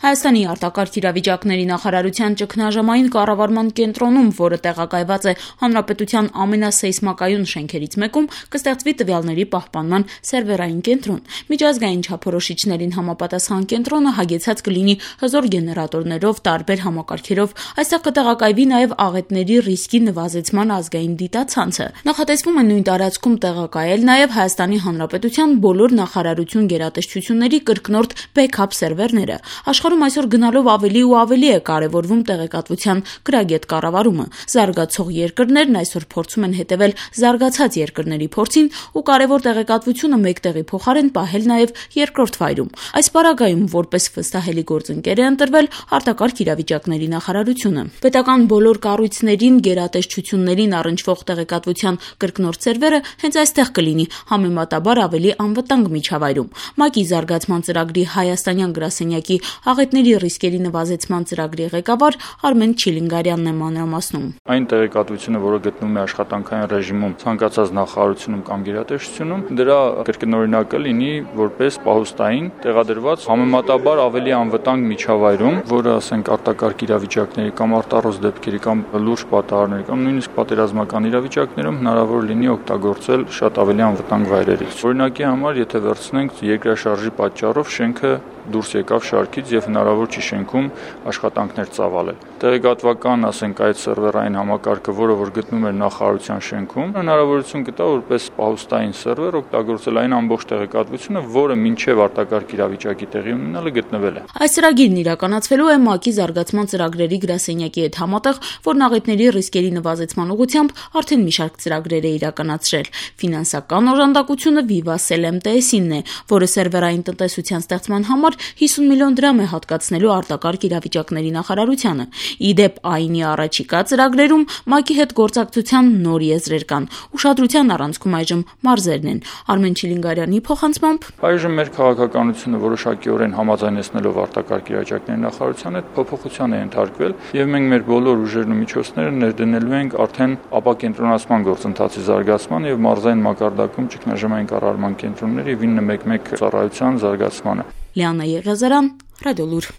Հայաստանի արտակարգ իրավիճակների նախարարության ճգնաժամային կառավարման կենտրոնում, որը տեղակայված է Հանրապետության ամենասեյսմակայուն շենքերից մեկում, կստեղծվի տվյալների պահպանման սերվերային կենտրոն։ Միջազգային չափորոշիչներին համապատասխան կենտրոնը հագեցած կլինի հզոր գեներատորներով, տարբեր համակարգերով։ Այստեղ կտեղակայվի նաև աղետների ռիսկի նվազեցման ազգային դիտացանցը։ Նախատեսվում է նույն տարածքում տեղակայել նաև Հայաստանի Հանրապետության բոլոր նախարարություն գերատեսչությունների կրկնորդ բեքափ սերվերները։ Աշխարհում այսօր գնալով ավելի ու ավելի է կարևորվում տեղեկատվության գրագետ կառավարումը։ Զարգացող երկրներն այսօր փորձում են հետևել զարգացած երկրների փորձին ու կարևոր տեղեկատվությունը մեկտեղի փոխարեն պահել նաև երկրորդ վայրում։ Այս պարագայում որպես վստահելի գործընկեր է ընտրվել արտակարգ իրավիճակների նախարարությունը։ Պետական բոլոր կառույցներին, գերատեսչություններին առնչվող տեղեկատվության կրկնորդ սերվերը հենց այստեղ կլինի, համեմատաբար ավելի անվտանգ միջավայրում։ ՄԱԿ-ի զարգացման ծրագրի հայաստանյան գրասենյակի աղետների ռիսկերի նվազեցման ծրագրի ղեկավար Արմեն Չիլինգարյանն է մանրամասնում։ Այն տեղեկատվությունը, որը գտնվում է աշխատանքային ռեժիմում ցանկացած նախարարությունում կամ գերատեսչությունում, դրա կրկնօրինակը լինի որպես պահոստային տեղադրված համեմատաբար ավելի անվտանգ միջավայրում, որը ասենք արտակարգ իրավիճակների կամ արտառոց դեպքերի կամ լուրջ պատահարների կամ նույնիսկ պատերազմական իրավիճակներում հնարավոր լինի օգտագործել շատ ավելի անվտանգ վայրերից։ Օրինակի համար, եթե վերցնենք երկրաշարժի պատճառով շենքը դուրս եկավ շարքից եւ հնարավոր չի շենքում աշխատանքներ ծավալել։ Տեղեկատվական, ասենք, այդ սերվերային համակարգը, որը որ գտնվում էր նախարարության շենքում, հնարավորություն կտա որպես պահոստային սերվեր օգտագործել այն ամբողջ տեղեկատվությունը, որը մինչև արտակարգ իրավիճակի տեղի ունենալը գտնվել է։ Այս ծրագիրն իրականացվելու է ՄԱԿ-ի զարգացման ծրագրերի գրասենյակի հետ համատեղ, որն աղետների ռիսկերի նվազեցման ուղղությամբ արդեն մի շարք ծրագրեր է իրականացրել։ Ֆինանսական օժանդակությունը Viva CLMTS-ինն է, որը սերվերային տնտեսության ստեղծման համար 50 միլիոն դրամ է հատկացնելու արտակարգ իրավիճակների նախարարությանը։ Իդեպ ԱԻՆ-ի առաջիկա ծրագրերում ՄԱԿ-ի հետ գործակցության նոր եզրեր կան։ Ուշադրության առանցքում այժմ մարզերն են։ Արմեն Չիլինգարյանի փոխանցմամբ այժմ մեր քաղաքականությունը որոշակիորեն համաձայնեցնելով արտակարգ իրավիճակների նախարարության հետ փոփոխության է ենթարկվել եւ մենք մեր բոլոր ուժերն ու միջոցները ներդնելու ենք արդեն ապակենտրոնացման գործընթացի զարգացման եւ մարզային մակարդակում ճգնաժամային կառավարման կենտրոնների 911 ծառայության զարգացմանը։ Լիանա Եղիազարյան, Ռադիոլուր։